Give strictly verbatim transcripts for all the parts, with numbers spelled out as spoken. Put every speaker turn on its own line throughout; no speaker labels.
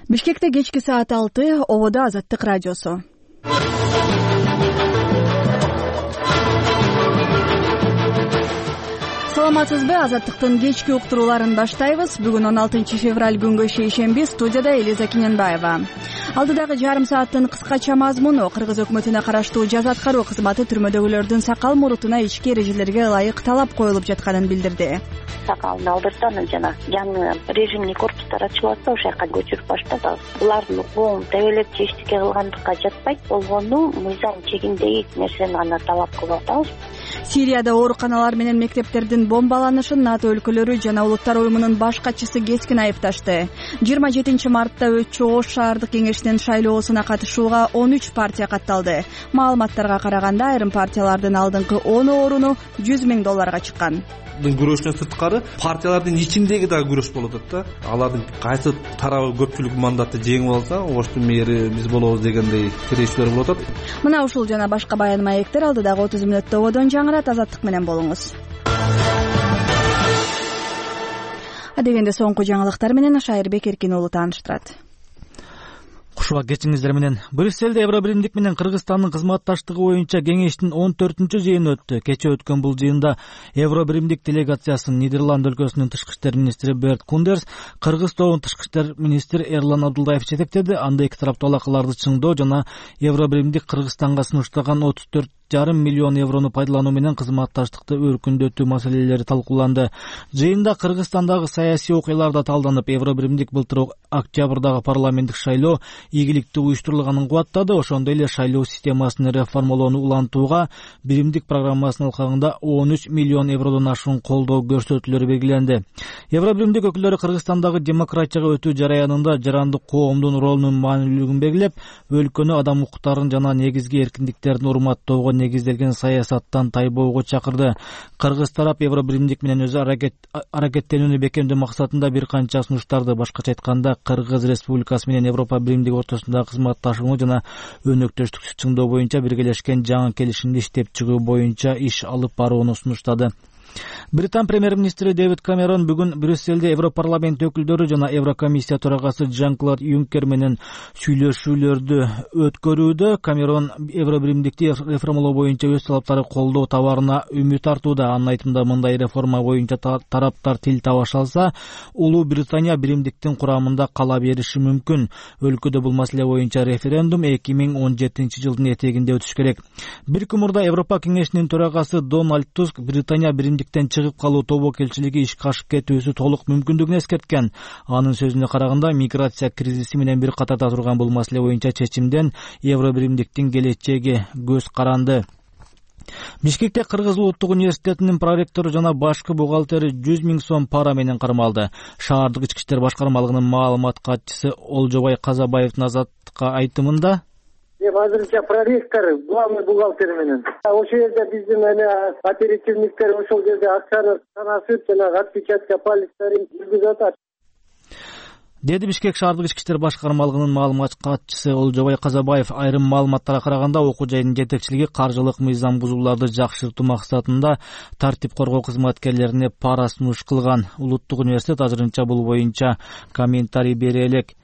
Бишкекте кечки саат алты, ободо Азаттык радиосу. Саламатсызбы, Азаттыктын кечки уктурууларын баштайбыз. Бүгүн он алтынчы февраль күнгө шейшемби, студияда Элиза Киненбаева. Алдыдагы жарым сааттын кыскача мазмуну: Кыргыз өкмөтүнө караштуу жаза аткаруу кызматы түрмөдөгүлөрдүн сакал мурутуна ички эрежелерге ылайык талап коюлуп жатканын билдирди.
Сакалын алдыртан жана жаңы режимный корпустар ачылып атса, ошол жака көчүрүп баштады. Булардын укугун тебелеп же эчтеке кылгандыкка жатпайт, болгону мыйзам чегиндеги нерсени гана талап кылып атабыз.
Сирияда ооруканалар менен мектептердин бомбаланышын НАТО өлкөлөрү жана Улуттар уюмунун баш катчысы кескин айыпташты. жыйырма жетинчи мартта өтчү Ош шаардык кеңешинин шайлоосуна катышууга он үч партия катталды. Маалыматтарга караганда, айрым партиялардын алдыңкы он оруну жүз миң долларга чыккан.
Күрөштөн сырткары партиялардын ичиндеги дагы күрөш болуп атат да. Алардын кайсы тарабы көпчүлүк мандатты жеңип алса, Оштун мэри биз болобуз дегендей тирешүүлөр болуп атат.
Мына ушул жана башка баян маектер алдыдагы отуз мүнөттө ободон жаңырат. Азаттык менен болуңуз. Адегенде соңку жаңылыктар менен Шайырбек Эркин уулу тааныштырат.
Кушуга кечиңиздер менен. Брюссельде Евробиримдик менен Кыргызстандын кызматташтыгы боюнча кеңештин он төртүнчү жыйыны өттү. Кече өткөн бул жыйында Евробиримдик делегациясын Нидерланд өлкөсүнүн тышкы иштер министри Берт Кундерс, Кыргыз тобун тышкы иштер министри Эрлан Абдулдаев жетектеди. Анда эки тараптуу алакаларды чыңдоо жана Евробиримдик Кыргызстанга сунуштаган отуз төрт жарым миллион еврону пайдалануу менен кызматташтыкты өркүндөтүү маселелери талкууланды. Жыйында Кыргызстандагы саясий окуялар да талданып, Евробиримдик былтыр октябрдагы парламенттик шайлоо ийгиликтүү уюштурулганын кубаттады. Ошондой эле шайлоо системасын реформалоону улантууга биримдик программасынын алкагында он үч миллион евродон ашуун колдоо көрсөтүүлөрү белгиленди. Евробиримдик өкүлдөрү Кыргызстандагы демократияга өтүү жараянында жарандык коомдун ролунун маанилүүлүгүн белгилеп, өлкөнү адам укуктарын жана негизги эркиндиктердин урматтоого негизделген саясаттан тайбоого чакырды. Кыргыз тарап Евробиримдик менен өзү аракеттенүүнү бекемдөө максатында бир канча сунуштарды, башкача айтканда, Кыргыз Республикасы менен Европа биримдиги ортосундагы кызматташууну жана өнөктөштүктү чыңдоо боюнча биргелешкен жаңы келишимди иштеп чыгуу боюнча иш алып барууну сунуштады. Британ премьер-министри Дэвид Камерон бүгүн Брюссельде Европарламент өкүлдөрү жана Еврокомиссия төрагасы Жан-Клод Юнкер менен сүйлөшүүлөрдү өткөрүүдө. Камерон Евробиримдикти реформалоо боюнча өз талаптары колдоо табарына үмүт артууда. Анын айтымында, мындай реформа боюнча тараптар тил табыша алса, Улуу Британия биримдиктин курамында кала бериши мүмкүн. Өлкөдө бул маселе боюнча референдум эки миң он жетинчи жылдын этегинде өтүш керек. Бир күн мурда Европа кеңешинин төрагасы Дональд Туск Британия биримдиктен чыгып калуу тобокелчилиги ишке ашып кетүүсү толук мүмкүндүгүн эскерткен. Анын сөзүнө караганда, миграция кризиси менен бир катарда турган бул маселе боюнча чечимден Евробиримдиктин келечеги көз каранды. Бишкекте Кыргыз улуттук университетинин проректору жана башкы бухгалтери жүз миң сом пара менен кармалды. Шаардык ички иштер башкармалыгынын маалымат катчысы Олжобай Казабаевдин Азаттыкка айтымында,
азырынча проректор, главный бухгалтер менен. Ошол жерде биздин эле оперативниктер ошол жерде акчаны санашып, жана отпечатка пальцтерин жүргүзүп атат,
деди Бишкек шаардык ички иштер башкармалыгынын маалымат катчысы Олжобай Казабаев. Айрым маалыматтарга караганда, окуу жайдын жетекчилиги каржылык мыйзам бузууларды жакшыртуу максатында тартип коргоо кызматкерлерине пара сунуш кылган. Улуттук университет азырынча бул боюнча комментарий бере элек.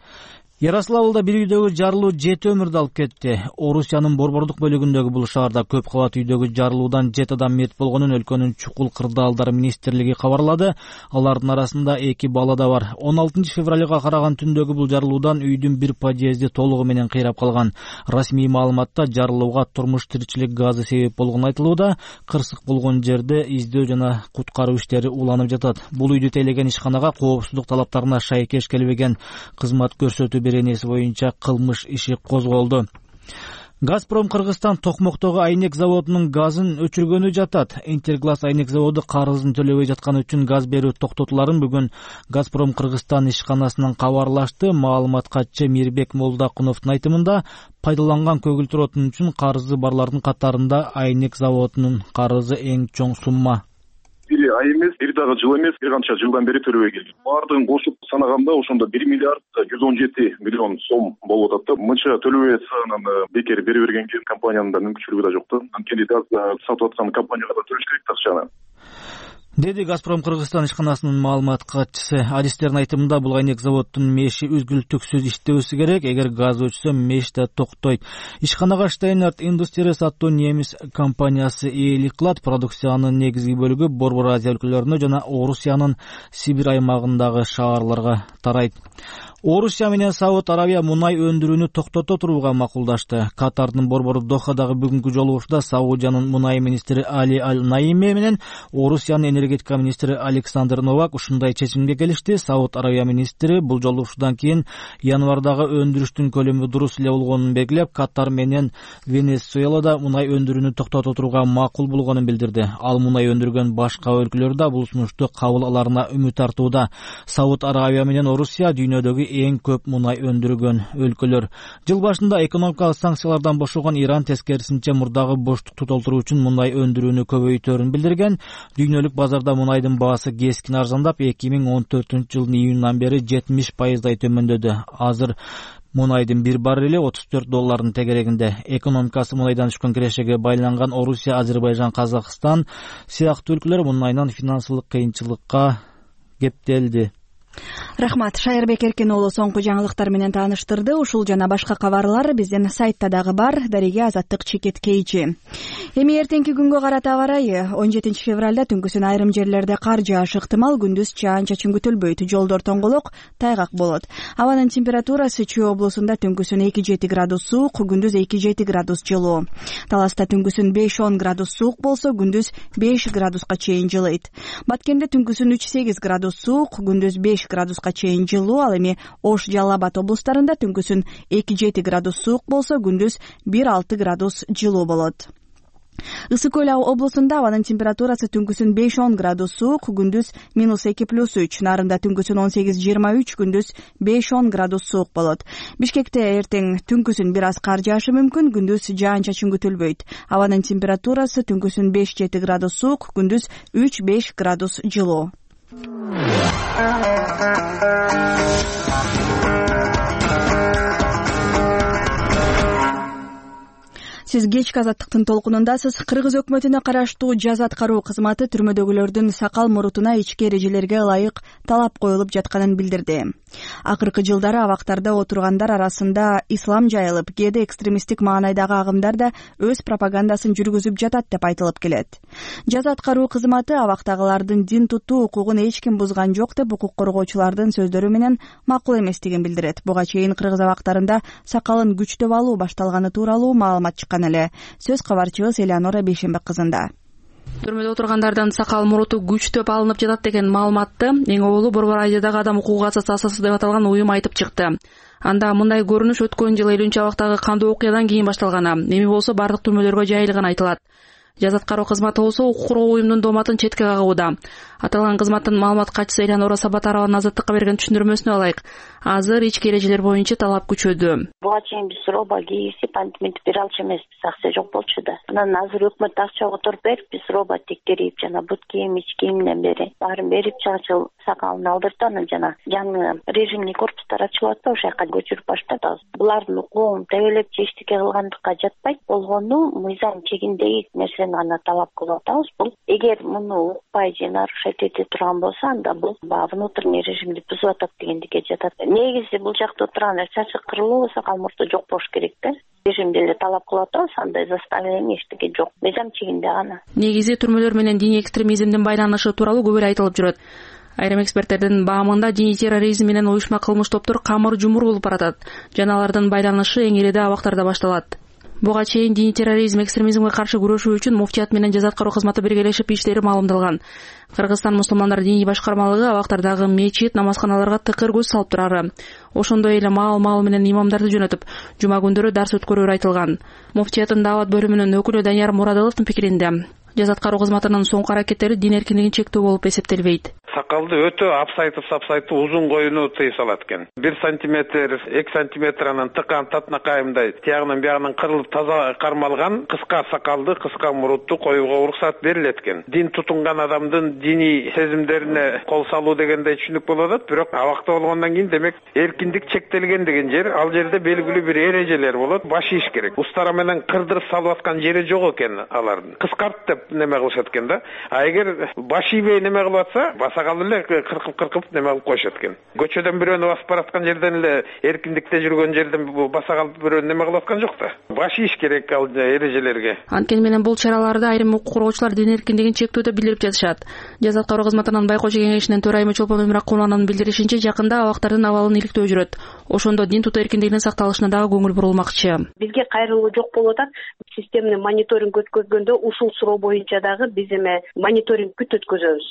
Ярославлда бир үйдөгү жарылуу жети өмүрдү алып кетти. Орусиянын борбордук бөлүгүндөгү бул шаарда көп кабат үйдөгү жарылуудан жети адам мерт болгонун өлкөнүн чукул кырдаалдар министрлиги кабарлады. Алардын арасында эки бала да бар. он алтынчы февралга караган түндөгү бул жарылуудан үйдүн бир подъезди толугу менен кыйрап калган. Расмий маалыматта жарылууга турмуш тиричилик газы себеп болгону айтылууда. Кырсык болгон жерде издөө жана куткаруу иштери уланып жатат. Бул үйдү тейлеген ишканага коопсуздук талаптарына шайкеш келбеген кызмат көрсөтүү беренеси боюнча кылмыш иши козголду. Газпром Кыргызстан Токмоктогу айнек заводунун газын өчүргөнү жатат. Интерглаз айнек заводу карызын төлөбөй жатканы үчүн газ берүү токтотуларын бүгүн Газпром Кыргызстан ишканасынан кабарлашты. Маалымат катчы Мирбек Молдакуновдун айтымында, пайдаланган көгүлтүр отун үчүн карызы барлардын катарында айнек заводунун карызы эң чоң сумма.
Бир ай эмес, бир дагы жыл эмес, бир канча жылдан бери төлөбөй келген. Баардыгын кошуп санаганда ошондо бир миллиард жүз он жети миллион сом болуп атат да. Мынча төлөбөй атсанан бекер бере бергенге компаниянын да мүмкүнчүлүгү да жок да. Анткени сатып аткан компанияга да төлөш керек акчаны.
деди Газпром Кыргызстан ишканасынын маалымат катчысы. Адистердин айтымында бул айнек заводдун меши үзгүлтүксүз иштебесе керек. Эгер газ өчсө меш да токтойт. Ишканага Steinert Industries аттуу немис компаниясы ээлик кылат. Продукциянын негизги бөлүгү Борбор Азия өлкөлөрүнө жана Орусиянын Сибирь аймагындагы шаарларга тарайт. Орусия менен Сауд Арабия мунай өндүрүүнү токтото турууга макулдашты. Катардын борбору Дохадагы бүгүнкү жолугушууда Саудиянын мунай министри Али Аль-Наими менен Орусиянын энергетика министри Александр Новак ушундай чечимге келишти. Сауд Арабия министри бул жолугушуудан кийин январдагы өндүрүштүн көлөмү дурус эле болгонун белгилеп, Катар менен Венесуэлада мунай өндүрүүнү токтото турууга макул болгонун билдирди. Ал мунай өндүргөн башка өлкөлөр да бул сунушту кабыл аларына үмүт артууда. Сауд Арабия менен Орусия дүйнөдөгү эң көп мунай өндүргөн өлкөлөр. Жыл башында экономикалык санкциялардан бошогон Иран тескерисинче мурдагы боштукту толтуруу үчүн мунай өндүрүүнү көбөйтөөрүн билдирген. Дүйнөлүк базарда мунайдын баасы кескин арзандап, эки миң он төртүнчү жылдын июнунан бери жетимиш пайыздай төмөндөдү. Азыр мунайдын бир баррели отуз төрт доллардын тегерегинде. Экономикасы мунайдан түшкөн кирешеге байланган Орусия, Азербайжан, Казакстан сыяктуу өлкөлөр мунайдан финансылык кыйынчылыкка кептелди.
Рахмат. Шайырбек Эркен уулу соңку жаңылыктар менен тааныштырды. Ушул жана башка кабарлар биздин сайтта дагы бар. Дареге Азаттык чекиткейчи. Эми эртеңки күнгө карата аба ырайы. он жетинчи февралда түнкүсүн айрым жерлерде кар жаашы ыктымал, күндүз жаан-чачын күтүлбөйт. Жолдор тоңголок, тайгак болот. Абанын температурасы Чүй облусунда түнкүсүн эки жети градус суук, күндүз эки жети градус жылуу. Таласта түнкүсүн беш он градус суук болсо, күндүз беш градуска чейин жылыйт. Баткенде түнкүсүн үч сегиз градус суук, күндүз беш градуска чейин жылуу. Ал эми Ош, Жалал Абад облустарында түнкүсүн эки жети градус суук болсо, күндүз бир алты градус жылуу болот. Ысык көл облусунда абанын температурасы түнкүсүн беш он градус суук, күндүз минус эки плюс үч, Нарында түнкүсүн он сегиз жыйырма үч, күндүз беш он градус суук болот. Бишкекте эртең түнкүсүн бир аз кар жаашы мүмкүн, күндүз жаан-чачын күтүлбөйт. Абанын температурасы түнкүсүн беш жети градус суук, күндүз үч беш градус жылуу. Сиз кечки Азаттыктын толкунундасыз. Кыргыз өкмөтүнө караштуу жаза аткаруу кызматы түрмөдөгүлөрдүн сакал мурутуна ички эрежелерге ылайык талап коюлуп жатканын билдирди. Акыркы жылдары абактарда отургандар арасында ислам жайылып, кээде экстремисттик маанайдагы агымдар да өз пропагандасын жүргүзүп жатат деп айтылып келет. Жаза аткаруу кызматы абактагылардын дин тутуу укугун эч ким бузган жок деп укук коргоочулардын сөздөрү менен макул эместигин билдирет. Буга чейин кыргыз абактарында сакалын күчтөп алуу башталганы тууралуу маалымат чыккан эле. Сөз кабарчыбыз Элеонора Бейшенбек кызында.
Түрмөдө отургандардын сакал муруту күчтөп алынып жатат деген маалыматты эң оболу Борбор Азиядагы адам укугу ассоциациясы деп аталган уюм айтып чыкты. Анда мындай көрүнүш өткөн жылы элүүнчү абактагы кандуу окуядан кийин башталган. Эми болсо бардык түрмөлөргө жайылган айтылат. Жаза аткаруу кызматы болсо укук коргоо уюмунун дооматын четке кагууда. Аталган кызматтын маалымат катчысы Элеонора Сабатарованын Азаттыкка берген түшүндүрмөсүнө алайык. Азыр ички эрежелер боюнча талап күчөдү.
Буга чейин биз роба кийгизип антиминтип бере алчу эмеспиз, акча жок болчу да. Анан азыр өкмөт акча которуп берип, биз роба тектерип, жана бут кийим, ич кийимден бери баарын берип, чачыл сакалын алдыртып, анан жана жаңы режимный корпустар ачылып атпайбы, ошол жака көчүрүп баштадыбыз. Булардын укугун тебелеп же эчтеке кылгандыкка жатпайт, болгону мыйзам чегиндеги нерсени гана талап кылып атабыз. Бул эгер муну укпай же нарушать эте турган болсо, анда бул баягы внутренний режимди бузуп атат дегендикке жатат. Негизи бул жакта отурган чачы кырылуу, сакал мурту жок болуш керек да. Режимде эле талап кылып атабыз, андай заставление эчтеке жок. Мыйзам чегинде гана.
Негизи түрмөлөр менен диний экстремизмдин байланышы тууралуу көп эле айтылып жүрөт. Айрым эксперттердин баамында диний терроризм менен уюшма кылмыш топтор камыр жумур болуп баратат. Жана алардын байланышы эң эле абактарда башталат. Буга чейин диний терроризм, экстремизмге каршы күрөшүү үчүн муфтият менен жаза аткаруу кызматы биргелешип иштери маалымдалган. Кыргызстан мусулмандар диний башкармалыгы абактардагы мечит, намазканаларга тыкыр көз салып турары. Ошондой эле маал-маал менен имамдарды жөнөтүп, жума күндөрү дарс өткөрүүрү айтылган. Муфтияттын даават бөлүмүнүн өкүлү Данияр Мурадыловдун пикиринде, жаза аткаруу кызматынын соңку аракеттери дин эркиндигин чектөө болуп эсептелбейт.
сакалды өтө апсайтып сапсайтып узун коюуну тыйып салат экен. бир сантиметр эки сантиметр анан тыкан татнакайымдай тиягынан биягынан кырылып таза кармалган кыска сакалды кыска мурутту коюуга уруксат берилет экен. Дин тутунган адамдын диний сезимдерине кол салуу дегендей түшүнүк болуп атат, бирок абакта болгондон кийин демек эркиндик чектелген деген жер, ал жерде белгилүү бир эрежелер болот, баш ийиш керек. Устара менен кырдырып салып аткан жери жок экен алардын. Кыскарт деп неме кылышат экен да. А эгер баш ийбей неме кылып атса, басакал эле кыркып-кыркып неме кылып коюшат экен. Көчөдөн бирөөнү басып бараткан жерден эле эркиндикте жүргөн жерден басакал бирөөнү неме кылып аткан жок да. Баш ийиш керек ал эрежелерге.
Анткени менен бул чараларды айрым укук коргоочулар дин эркиндигин чектөөдө билдирип жатышат. Жаза аткаруу кызматынын байкоочу кеңешинин төрайымы Чолпон Мемиракулованын билдиришинче, жакында абактардын абалын иликтөө жүрөт. Ошондо дин тутуу эркиндигинин сакталышына дагы көңүл бурулмакчы.
Бизге кайрылуу жок болуп атат. Системный мониторинг өткөзгөндө ушул суроо боюнча дагы биз эме мониторинг күт өткөзөбүз.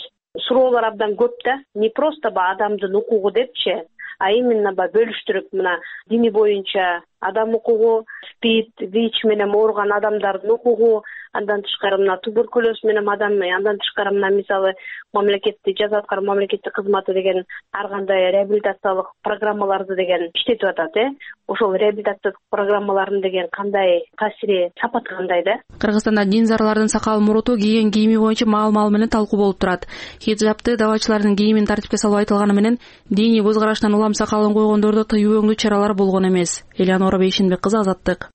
Суроолор абдан көп да, не просто ба адамдын укугу депчи, а именно ба бөлүштүрүп мына дини боюнча адам укугу, СПИД, ВИЧ менен ооруган адамдардын укугу, андан тышкары мына туберкулез менен адам, андан тышкары мына мисалы мамлекеттик жаза аткаруу мамлекеттик кызматы деген ар кандай реабилитациялык программаларды деген иштетип атат, э. Ошол реабилитациялык программаларын деген кандай таасири, сапаты кандай да?
Кыргызстанда дин зарлардын сакал муруту кийген кийими боюнча маал-маал менен талкуу болуп турат. Хиджабты давачылардын кийимин тартипке салуу айтылганы менен диний көз караштан улам сакалын койгондорду тыюу өңдүү чаралар болгон эмес. Элеонора Бейшенбек кызы, Азаттык.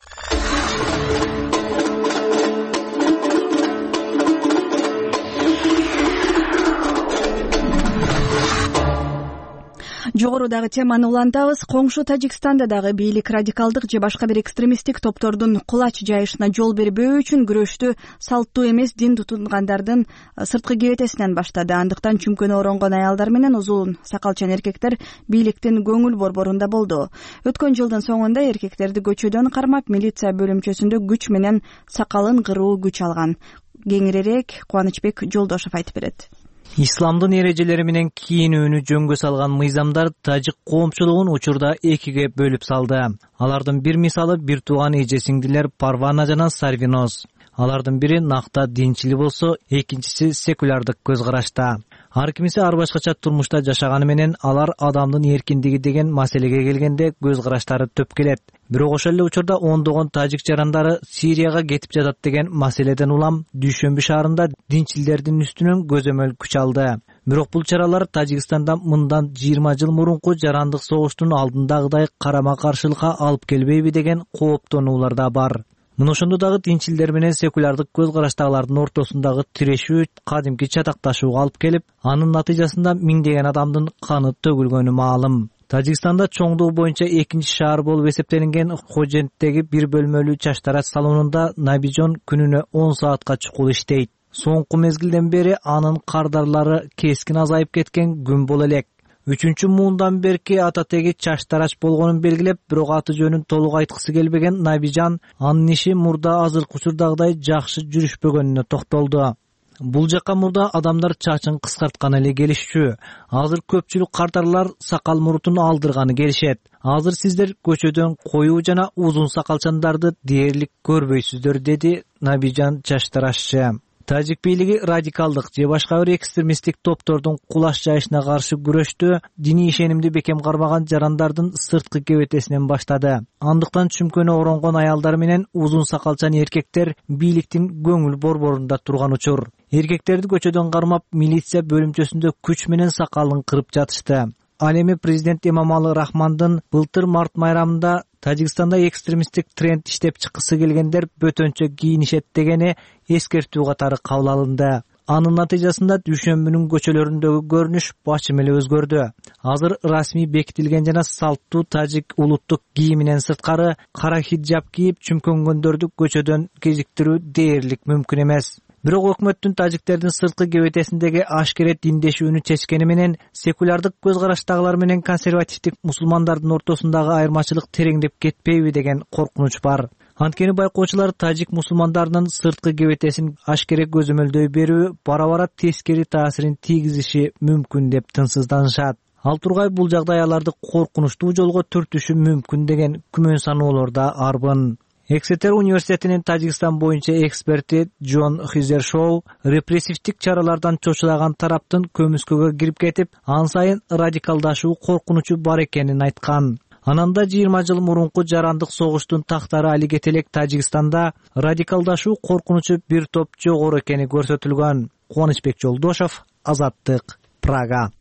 Жогорудагы теманы улантабыз. Коңшу Тажикстанда дагы бийлик радикалдык же башка бир экстремисттик топтордун кулач жайышына жол бербөө үчүн күрөштү салттуу эмес дин тутунгандардын сырткы кебетесинен баштады. Андыктан чүмкөнү оронгон аялдар менен узун сакалчан эркектер бийликтин көңүл борборунда болду. Өткөн жылдын соңунда эркектерди көчөдөн кармап, милиция бөлүмчөсүндө күч менен сакалын кыруу күч алган. Кеңирээк Кубанычбек Жолдошов айтып берет.
Исламдын эрежелери менен кийинүүнү жөнгө салган мыйзамдар тажик коомчулугун учурда экиге бөлүп салды. Алардын бир мисалы бир тууган эже сиңдилер Парвана жана Сарвиноз. Алардын бири накта динчил болсо, экинчиси секулярдык көз карашта. Ар кимиси ар башкача турмушта жашаганы менен алар адамдын эркиндиги деген маселеге келгенде көз караштары төп келет. Бирок ошол эле учурда ондогон тажик жарандары Сирияга кетип жатат деген маселеден улам Дүйшөмбү шаарында динчилдердин үстүнөн көзөмөл күч алды. Бирок бул чаралар Тажикстанда мындан жыйырма жыл мурунку жарандык согуштун алдындагыдай карама-каршылыкка алып келбейби деген кооптонуулар да бар. Мына ошондо дагы динчилдер менен секулярдык көз караштагылардын ортосундагы тирешүү кадимки чатакташууга алып келип, анын натыйжасында миңдеген адамдын каны төгүлгөнү маалым. Тажикстанда чоңдугу боюнча экинчи шаар болуп эсептелинген Хоженттеги бир бөлмөлүү чачтарач салонунда Набижон күнүнө он саатка чукул иштейт. Соңку мезгилден бери анын кардарлары кескин азайып кеткен күн боло элек. Үчүнчү муундан берки ата теги чачтарач болгонун белгилеп, бирок аты жөнүн толук айткысы келбеген Набижан анын иши мурда азыркы учурдагыдай жакшы жүрүшпөгөнүнө токтолду. Бул жакка мурда адамдар чачын кыскартканы эле келишчү. Азыр көпчүлүк кардарлар сакал мурутун алдырганы келишет. Азыр сиздер көчөдөн коюу жана узун сакалчандарды дээрлик көрбөйсүздөр, деди Набижан чачтарашчы. Тажик бийлиги радикалдык же башка бир экстремисттик топтордун кулаш жайышына каршы күрөштү диний ишенимди бекем кармаган жарандардын сырткы кебетесинен баштады. Андыктан чүмкөнү оронгон аялдар менен узун сакалчан эркектер бийликтин көңүл борборунда турган учур. Эркектерди көчөдөн кармап, милиция бөлүмчөсүндө күч менен сакалын кырып жатышты. Ал эми президент Эмомали Рахмандын былтыр март майрамында Тажикстанда экстремисттик тренд иштеп чыккысы келгендер бөтөнчө кийинишет дегени эскертүү катары кабыл алынды. Анын натыйжасында Дүйшөмбүнүн көчөлөрүндөгү көрүнүш бачым эле өзгөрдү. Азыр расмий бекитилген жана салттуу тажик улуттук кийиминен сырткары кара хиджаб кийип чүмкөнгөндөрдү көчөдөн кезиктирүү дээрлик мүмкүн эмес. Бирок өкмөттүн тажиктердин сырткы кебетесиндеги ашкере диндешүүнү чечкени менен секулярдык көз караштагылар менен консервативдик мусулмандардын ортосундагы айырмачылык тереңдеп кетпейби деген коркунуч бар. Анткени байкоочулар тажик мусулмандарынын сырткы кебетесин ашкере көзөмөлдөй берүү бара-бара тескери таасирин тийгизиши мүмкүн деп тынчсызданышат. Ал тургай бул жагдай аларды коркунучтуу жолго түртүшү мүмкүн деген күмөн саноолор да арбын. Эксетер университетинин Тажикстан боюнча эксперти Джон Хизершоу репрессивдик чаралардан чочулаган тараптын көмүскөгө кирип кетип, ан сайын радикалдашуу коркунучу бар экенин айткан. Анан да жыйырма жыл мурунку жарандык согуштун тактары али кете элек Тажикстанда радикалдашуу коркунучу бир топ жогору экени көрсөтүлгөн. Кубанычбек Жолдошов, Азаттык, Прага.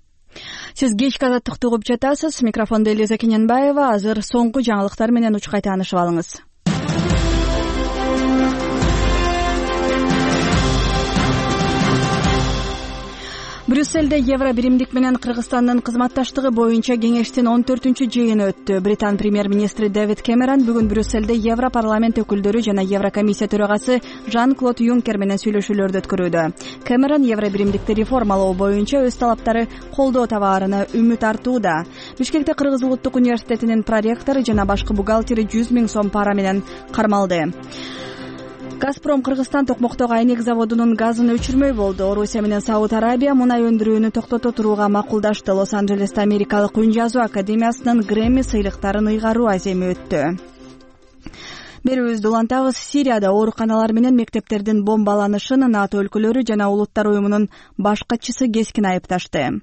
Сиз кечки азаттыкты угуп жатасыз. Микрофондо Элиза Кененбаева. Азыр соңку жаңылыктар менен учкай таанышып алыңыз. Брюссельде Евро биримдик менен Кыргызстандын кызматташтыгы боюнча кеңештин он төртүнчү жыйыны өттү. Британ премьер-министри Дэвид Кэмерон бүгүн Брюссельде Евро парламент өкүлдөрү жана Еврокомиссия төрагасы Жан-Клод Юнкер менен сүйлөшүүлөрдү өткөрүүдө. Кэмерон Евро биримдикти реформалоо боюнча өз талаптары колдоо табаарына үмүт артууда. Бишкекте Кыргыз улуттук университетинин проректору жана башкы бухгалтери жүз миң сом пара менен кармалды. Газпром Кыргызстан токмоктогу айнек заводунун газын өчүрмөй болду. Орусия менен Сауд Арабия мунай өндүрүүнү токтото турууга макулдашты. Лос-Анджелесте Америкалык үн жазуу академиясынын Грэмми сыйлыктарын ыйгаруу аземи өттү. Берүүбүздү улантабыз. Сирияда ооруканалар менен мектептердин бомбаланышын НАТО өлкөлөрү жана улуттар уюмунун баш катчысы кескин айыпташты.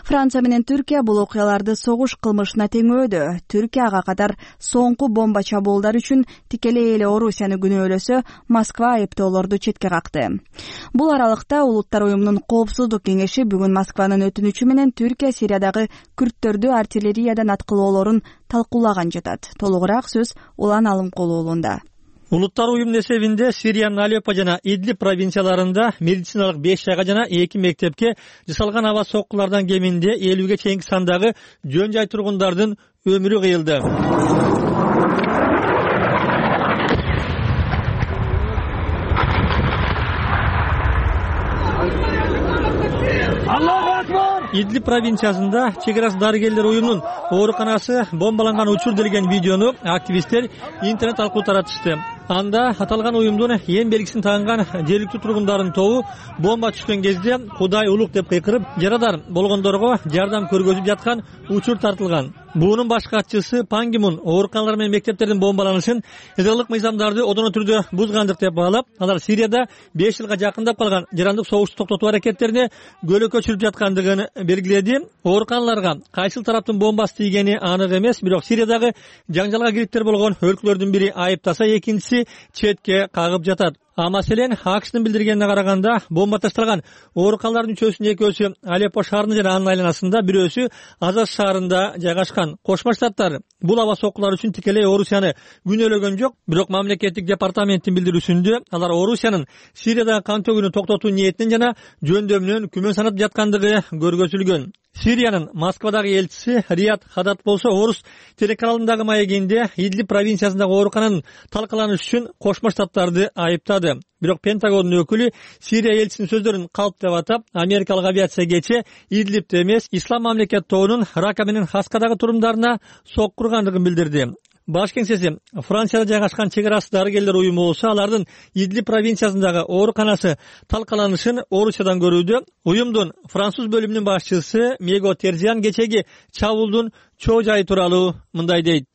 Франция менен Түркия бул окуяларды согуш кылмышына теңөөдү. Түркия ага катар соңку бомба чабуулдар үчүн тикелей эле Орусияны күнөөлөсө, Москва айыптоолорду четке какты. Бул аралыкта улуттар уюмунун коопсуздук кеңеши бүгүн Москванын өтүнүчү менен Түркия Сириядагы күрттөрдү артиллериядан аткылоолорун талкуулаган жатат. Толугураак сөз Улан Алымкулу уулунда.
Улуттар уюмунун эсебинде Сириянын Алеппо жана Идлиб провинцияларында медициналык беш жайга жана эки мектепке жасалган аба соккулардан кеминде элүүгө чейинки сандагы жөн жай тургундардын өмүрү кыйылды. Идлиб провинциясында чек арасы дарыгерлер уюмунун ооруканасы бомбаланган учур делген видеону активисттер интернет аркылуу таратышты. Анда аталган уюмдун эң белгисин тагынган жергиликтүү тургундардын тобу бомба түшкөн кезде Кудай улук деп кыйкырып, жарадар болгондорго жардам көргөзүп жаткан учур тартылган. Буунун баш катчысы Пан Ги Мун ооруканалар менен мектептердин бомбаланышын ядролук мыйзамдарды одоно түрдө бузгандык деп баалап, алар Сирияда беш жылга жакындап калган жарандык согушту токтотуу аракеттерине көөлөккө чүрүп жаткандыгын белгиледи. Ооруканаларга кайсыл тараптын бомбасы тийгени анык эмес, бирок Сириядагы жаңжалга кириптер болгон өлкөлөрдүн бири айыптаса, экинчиси четке кагып жатат. А маселен АКШтын билдиргенине караганда, бомба ташталган ооруканалардын үчөөсүнүн экөөсү Алеппо шаарында жана анын айланасында, бирөөсү Азаз шаарында жайгашкан. Кошмо Штаттар бул аба соккулар үчүн тикелей Орусияны күнөөлөгөн жок, бирок мамлекеттик департаменттин билдирүүсүндө алар Орусиянын Сириядагы кан төгүүнү токтотуу ниетинен жана жөндөмүнөн күмөн санап жаткандыгы көргөзүлгөн. Сириянын Москвадагы элчиси Рият Хадат болсо, Орус телеканалындагы маегинде Идлиб провинциясындагы оорукананын талкаланышы үчүн Кошмо Штаттарды айыптады. Бирок Пентагондун өкүлү Сирия элчисинин сөздөрүн калп деп атап, америкалык авиация кече Идлибте эмес, Ислам мамлекет тобунун Рака менен Хаскадагы турумдарына сокку ургандыгын билдирди. Баш кеңсеси Францияда жайгашкан чек арасы дарыгерлер уюму болсо, алардын Идлиб провинциясындагы ооруканасы талкаланышын Орусиядан көрүүдө. Уюмдун француз бөлүмүнүн башчысы Мего Терзиан кечеги чабуулдун чоо жайы тууралуу мындай дейт.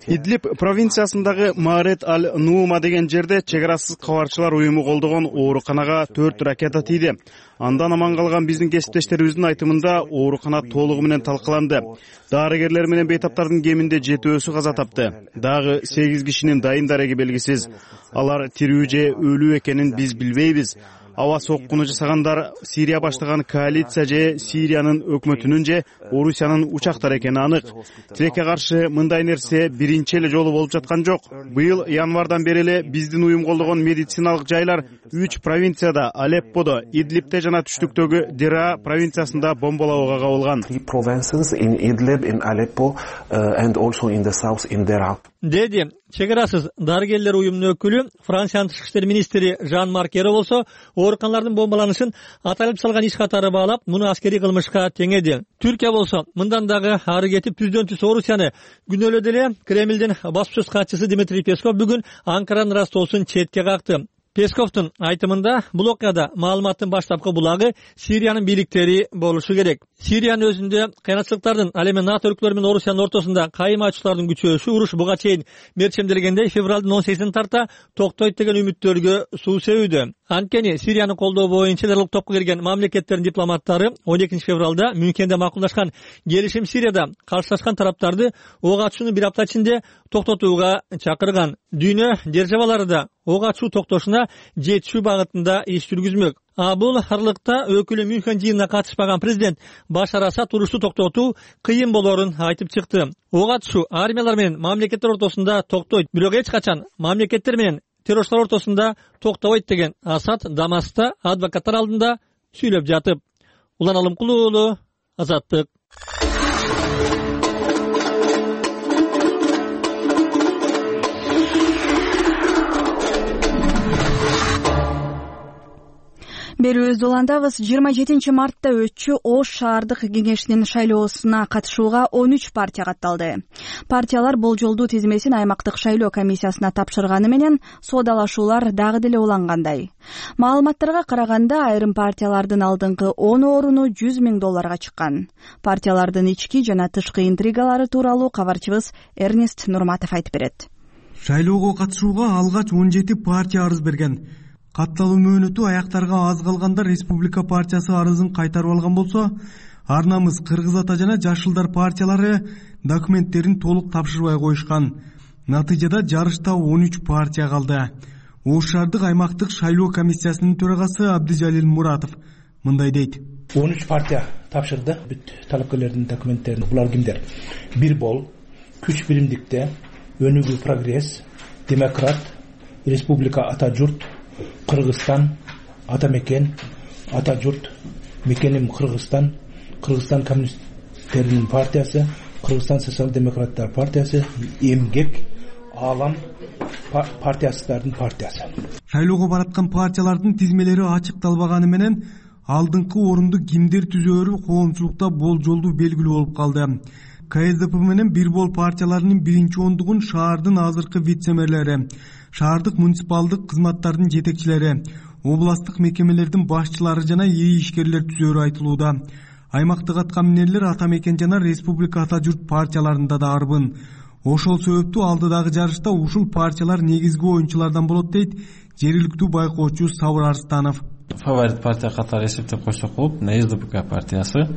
Идлиб провинциясындагы Маарет аль-Нуума деген жерде чек арасыз кабарчылар уюму колдогон ооруканага төрт ракета тийди. Андан аман калган биздин кесиптештерибиздин айтымында оорукана толугу менен талкаланды. Дарыгерлер менен бейтаптардын кеминде жетөөсү каза тапты. Дагы сегиз кишинин дайын дареги белгисиз. Алар тирүү же өлүү экенин биз билбейбиз. Аба соккуну жасагандар Сирия баштаган коалиция же Сириянын өкмөтүнүн же Орусиянын учактары экени анык. Тилекке каршы мындай нерсе биринчи эле жолу болуп жаткан жок. Быйыл январдан бери эле биздин уюм колдогон медициналык жайлар үч провинцияда, Алепподо, Идлибте жана түштүктөгү Дера провинциясында бомбалоого кабылган.
Деди чек арасыз дарыгерлер уюмунун өкүлү, Франциянын тышкы иштер министри Жан-Марк Эро болсо, ооруканалардын бомбаланышын аталып салган иш катары баалап, муну аскерий кылмышка теңеди. Түркия болсо, мындан дагы ары кетип түздөн түз Орусияны күнөөлөдү эле. Кремлдин баспасөз катчысы Дмитрий Песков бүгүн Анкаранын растоосун четке какты. Песковдун айтымында бул окуяда маалыматтын баштапкы булагы Сириянын бийликтери болушу керек. Сириянын өзүндө кыйынчылыктардын, ал эми НАТО өлкөлөрү менен Орусиянын ортосунда кайым ачуулардын күчөшү, уруш буга чейин мерчемделгендей февралдын он сегизине тарта токтойт деген үмүттөргө суу себүүдө. Анткени Сирияны колдоо боюнча диалог топко келген мамлекеттердин дипломаттары он экинчи февралда Мюнхенде макулдашкан келишим Сирияда каршылашкан тараптарды ок ачууну бир апта ичинде токтотууга чакырган. Дүйнө державалары да ок ачуу токтошуна жетишүү багытында иш жүргүзмөк. А бул аралыкта өкүлү Мюнхен жыйынына катышпаган президент Башар Асад урушту токтотуу кыйын болоорун айтып чыкты. Ок ачуу армиялар менен мамлекеттер ортосунда токтойт, бирок эч качан мамлекеттер менен террорчулар ортосунда токтобойт деген Асад Дамаскта адвокаттар алдында сүйлөп жатып. Улан Алымкулуу уулу, Азаттык.
Берүүбүздү улантабыз. жыйырма жетинчи мартта өтчү Ош шаардык кеңешинин шайлоосуна катышууга он үч партия катталды. Партиялар болжолдуу тизмесин аймактык шайлоо комиссиясына тапшырганы менен соодалашуулар дагы деле улангандай. Маалыматтарга караганда айрым партиялардын алдыңкы он оруну жүз миң долларга чыккан. Партиялардын ички жана тышкы интригалары тууралуу кабарчыбыз Эрнест Нурматов айтып берет.
Шайлоого катышууга алгач он жети партия арыз берген. Катталуу мөөнөтү аяктарга аз калганда Республика партиясы арызын кайтарып алган болсо, Ар намыс, Кыргыз ата жана Жашылдар партиялары документтерин толук тапшырбай коюшкан. Натыйжада жарышта он үч партия калды. Ош шаардык аймактык шайлоо комиссиясынын төрагасы Абдыжалил Муратов мындай дейт.
он үч партия тапшырды бүт талапкерлердин документтерин. Булар кимдер? Бир бол, Күч биримдикте, Өнүгүү прогресс, Демократ, Республика ата журт, Кыргызстан, ата мекен, ата журт, мекеним Кыргызстан, Кыргызстан коммунисттердин партиясы, Кыргызстан социал-демократтар партиясы, Эмгек, Алам партиясыздардын партиясы.
Шайлоого бараткан партиялардын тизмелери ачыкталбаганы менен алдыңкы орунду кимдер түзөөрү коомчулукта болжолдуу белгилүү болуп калды. КСДП менен бир бол партияларынын биринчи ондугун шаардын азыркы вице-мэрлери, шаардык муниципалдык кызматтардын жетекчилери, областтык мекемелердин башчылары жана ИИ ишкерлер түзөөрү айтылууда. Аймактык аткаминерлер ата мекен жана Республика ата журт партияларында да арбын. Ошол себептүү алдыдагы жарышта ушул партиялар негизги оюнчулардан болот дейт жергиликтүү байкоочу Сабыр Арстанов.
Фаворит партия катары эсептеп койсок болот, СДПК партиясы.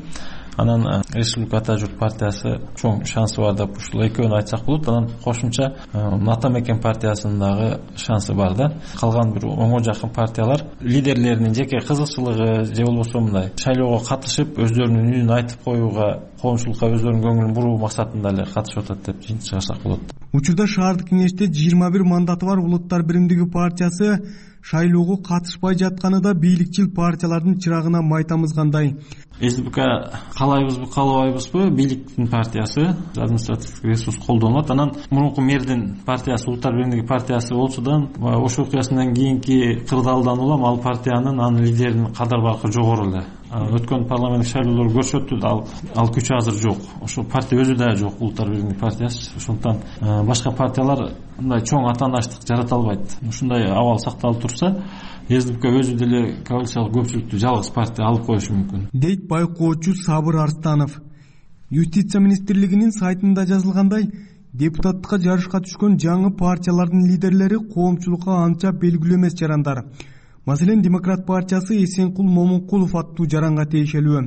Анан Республика ата журт партиясы чоң шансы бар деп ушул экөөнү айтсак болот. Анан кошумча ата мекен партиясынын дагы шансы бар да. Калган бир оңго жакын партиялар лидерлеринин жеке кызыкчылыгы же болбосо мындай шайлоого катышып өздөрүнүн үнүн айтып коюуга, коомчулукка өздөрүнүн көңүлүн буруу максатында эле катышып атат деп чыгарсак болот.
Учурда шаардык кеңеште жыйырма бир мандаты бар Улуттар биримдиги партиясы шайлоого катышпай жатканы да бийликчил партиялардын чырагына май тамызгандай.
СДПК каалайбызбы, каалабайбызбы, бийликтин партиясы, административдик ресурс колдонулат. Анан мурунку мэрдин партиясы, Улуттар биримдиги партиясы болсо да, Ош окуясынан кийинки кырдаалдан улам ал партиянын, анын лидеринин кадар баркы жогору эле. Өткөн парламенттик шайлоолор көрсөттү, ал ал күчү азыр жок. Ошо партия өзү да жок, Улуттар биримдиги партиясы. Ошондуктан башка партиялар мындай чоң атаандаштык жарата албайт. Ушундай абал сакталып турса, СДПК өзү деле коалициялык көпчүлүктү жалгыз партия алып коюшу мүмкүн.
Дейт байкоочу Сабыр Арстанов. Юстиция министрлигинин сайтында жазылгандай, депутаттыкка жарышка түшкөн жаңы партиялардын лидерлери коомчулукка анча белгилүү эмес жарандар. Маселен, Демократ партиясы Эсенкул Момункулов аттуу жаранга тиешелүү.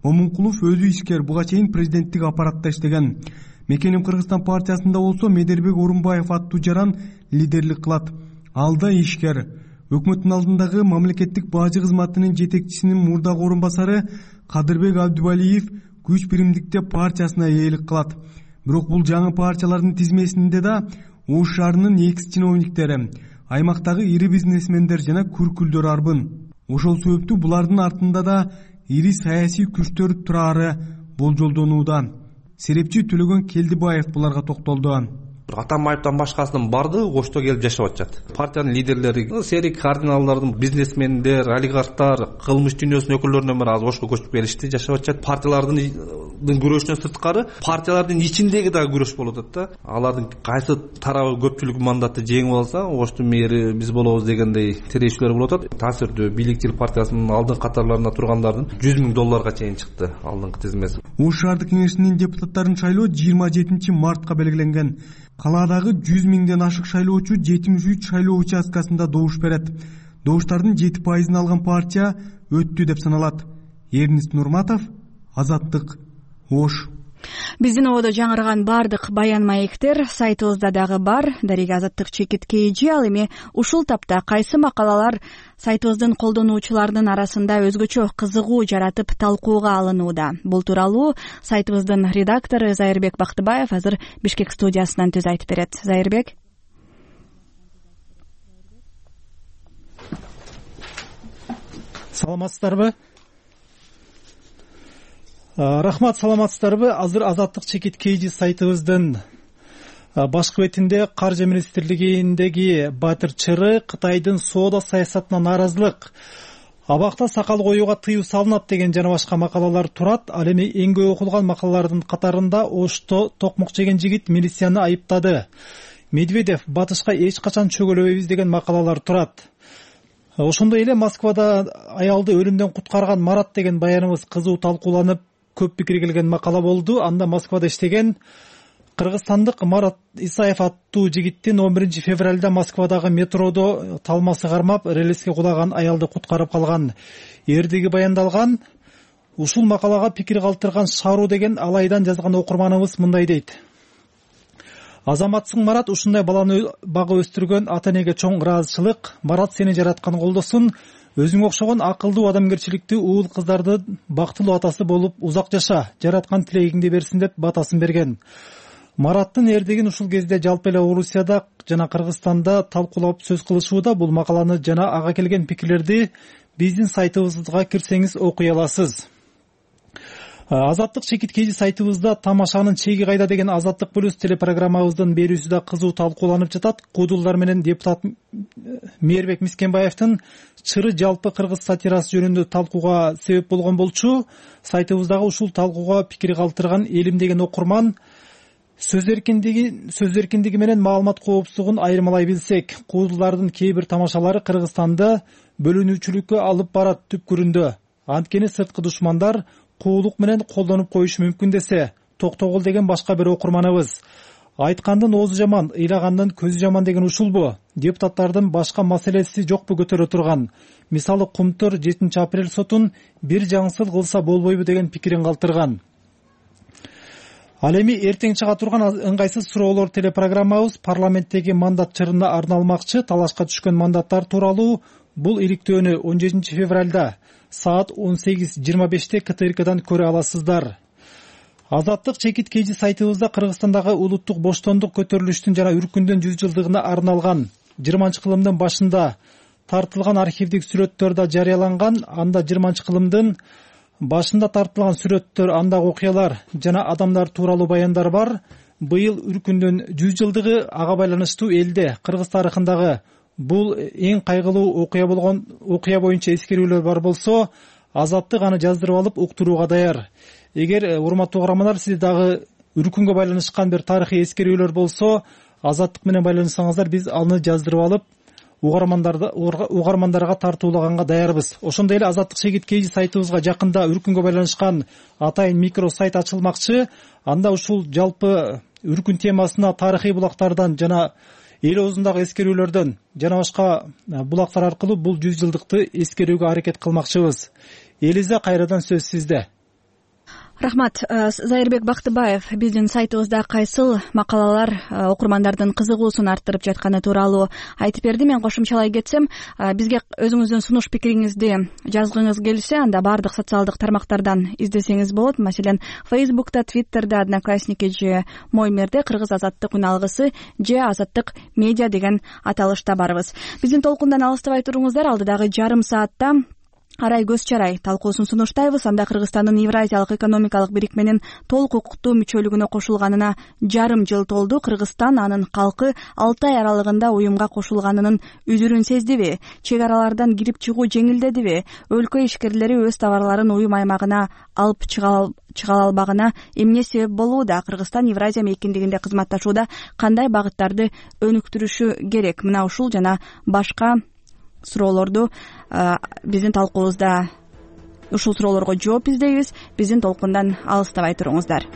Момункулов өзү ишкер, буга чейин президенттик аппаратта иштеген. Мекеним Кыргызстан партиясында болсо Медербек Орунбаев аттуу жаран лидерлик кылат. Ал да ишкер. Өкмөттүн алдындагы мамлекеттик бажы кызматынын жетекчисинин мурдагы орун басары Кадырбек Абдубалиев Күч биримдикте партиясына ээлик кылат. Бирок бул жаңы партиялардын тизмесинде да Ош шаарынын экс чиновниктери, аймактагы ири бизнесмендер жана күркүлдөр арбын. Ошол себептүү булардын артында да ири саясий күчтөр турары болжолдонууда. Серепчи Төлөгөн Келдибаев буларга токтолду.
Атамбаевден башкасынын баардыгы Ошто келип жашап атышат. Партиянын лидерлери, серик кардиналдардын, бизнесмендер, олигархтар, кылмыш дүйнөсүнүн өкүлдөрүнөн бери азыр Ошко көчүп келишти, жашап атышат. Партиялардын күрөшүнөн сырткары партиялардын ичиндеги дагы күрөш болуп атат да. Алардын кайсы тарабы көпчүлүк мандатты жеңип алса, Оштун мэри биз болобуз дегендей тирешүүлөр болуп атат. Таасирдүү бийликчил партиясынын алдыңкы катарларында тургандардын жүз миң долларга чейин чыкты алдыңкы тизмеси.
Ош шаардык кеңешинин депутаттарын шайлоо жыйырма жетинчи мартка белгиленген. Калаадагы жүз миңден ашык шайлоочу жетимиш үч шайлоо участкасында добуш берет. Добуштардын жети пайызын алган партия өттү деп саналат. Эрнист Нурматов, Азаттык, Ош.
Биздин ободо жаңырган бардык баян маектер сайтыбызда дагы бар. Дарига Азаттык чекит кейжи. Ал эми ушул тапта кайсы макалалар сайтыбыздын колдонуучуларынын арасында өзгөчө кызыгуу жаратып талкууга алынууда. Бул тууралуу сайтыбыздын редактору Зайырбек Бактыбаев азыр Бишкек студиясынан сөз айтып берет. Зайырбек.
Саламатсыздарбы? Рахмат, саламатсыздарбы? Азыр Азаттык чекит кейжи сайтыбыздын башкы бетинде Каржы министрлигиндеги Батыр Чыры Кытайдын соода саясатына нааразылык, абакта сакал коюуга тыюу салынат деген жана башка макалалар турат. Ал эми эң көп окулган макалалардын катарында Ошто токмок жеген жигит милицияны айыптады, Медведев батышка эч качан чөгөлөбөйбүз деген макалалар турат. Ошондой эле Москвада аялды өлүмдөн куткарган Марат деген баяныбыз кызуу талкууланып, көп пикир келген макала болду. Анда Москвада иштеген кыргызстандык Марат Исаев аттуу жигиттин он биринчи февралда Москвадагы метродо талмасы кармап, релиске кулаган аялды куткарып калган эрдиги баяндалган. Ушул макалага пикир калтырган Шару деген алайдан жазган окурманыбыз мындай дейт: Азаматсың Марат, ушундай баланы бага өстүргөн ата энеге чоң ыраазычылык. Марат сени жараткан колдосун. Өзүңө окшогон акылдуу, адамгерчиликтүү уул кыздарды бактылуу атасы болуп узак жаша, жараткан тилегиңди берсин деп батасын берген. Мараттын эрдигин ушул кезде жалпы эле Орусияда жана Кыргызстанда талкуулап сөз кылышууда. Бул макаланы жана ага келген пикирлерди биздин сайтыбызга кирсеңиз окуй аласыз. Азаттык чекит кейжи сайтыбызда тамашанын чеги кайда деген Азаттык плюс телепрограммабыздын берүүсү да кызуу талкууланып жатат. Куудулдар менен депутат Мээрбек Мискенбаевдин Чыры жалпы кыргыз сатирасы жөнүндө талкууга себеп болгон болчу. Сайтыбыздагы ушул талкууга пикир калтырган Элим деген окурман сөз эркиндиги сөз эркиндиги менен маалымат коопсуздугун айырмалай билсек, куудулдардын кээ бир тамашалары Кыргызстанды бөлүнүүчүлүккө алып барат түпкүрүндө. Анткени сырткы душмандар куулук менен колдонуп коюшу мүмкүн десе, токтогул деген башка бир окурманыбыз. Айткандын оозу жаман, ыйлагандын көзү жаман деген ушулбу? Депутаттардын башка маселеси жокпу көтөрө турган? Мисалы, Кумтур жетинчи апрель сотун бир жаңсыл кылса болбойбу деген пикирин калтырган. Ал эми эртең чыга турган ыңгайсыз суроолор телепрограммабыз парламенттеги мандат чырына арналмакчы. Талашка түшкөн мандаттар тууралуу бул иликтөөнү он жетинчи февралда саат он сегиз жыйырма беште К Т Р Кдан көрө аласыздар. Азаттык чекит кейжи сайтыбызда Кыргызстандагы улуттук боштондук көтөрүлүштүн жана үркүндүн жүз жылдыгына арналган жыйырманчы кылымдын башында тартылган архивдик сүрөттөр да жарыяланган. Анда жыйырманчы кылымдын башында тартылган сүрөттөр, андагы окуялар жана адамдар тууралуу баяндар бар. Быйыл үркүндүн жүз жылдыгы, ага байланыштуу элде кыргыз тарыхындагы бул эң кайгылуу окуя болгон окуя боюнча эскерүүлөр бар болсо, Азаттык аны жаздырып алып уктурууга даяр. Эгер урматтуу угармандар, сиз дагы үркүнгө байланышкан бир тарыхый эскерүүлөр болсо, Азаттык менен байланышсаңыздар, биз аны жаздырып алып угармандарды угармандарга тартуулаганга даярбыз. Ошондой эле Азаттык чекит кейжи сайтыбызга жакында үркүнгө байланышкан атайын микро сайт ачылмакчы. Анда ушул жалпы үркүн темасына тарыхый булактардан жана эл оозундагы эскерүүлөрдөн жана башка булактар аркылуу бул жүз жылдыкты эскерүүгө аракет кылмакчыбыз. Элиза, кайрадан сөз сизде.
Рахмат. Зайырбек Бактыбаев биздин сайтыбызда кайсыл макалалар окурмандардын кызыгуусун арттырып жатканы тууралуу айтып берди. Мен кошумчалай кетсем, бизге өзүңүздүн сунуш пикириңизди жазгыңыз келсе, анда бардык социалдык тармактардан издесеңиз болот. Маселен, Фейсбукта, Твиттерде, Одноклассники же Моймерде Кыргыз Азаттык үн алгысы же Азаттык медиа деген аталышта барбыз. Биздин толкундан алыстабай туруңуздар. Алдыдагы жарым саатта арай көз чарай талкуусун сунуштайбыз. Анда Кыргызстандын Евразиялык экономикалык бирикменин толук укуктуу мүчөлүгүнө кошулганына жарым жыл толду. Кыргызстан анын калкы алты ай аралыгында уюмга кошулганынын үзүрүн сездиби? Чек аралардан кирип чыгуу жеңилдедиби? Өлкө ишкерлери өз товарларын уюм аймагына алып чыга албагына эмне себеп болууда? Кыргызстан Евразия мейкиндигинде кызматташууда кандай багыттарды өнүктүрүшү керек? Мына ушул жана башка суроолорду биздин талкуубузда ушул суроолорго жооп издейбиз. Биздин толкундан алыстабай туруңуздар.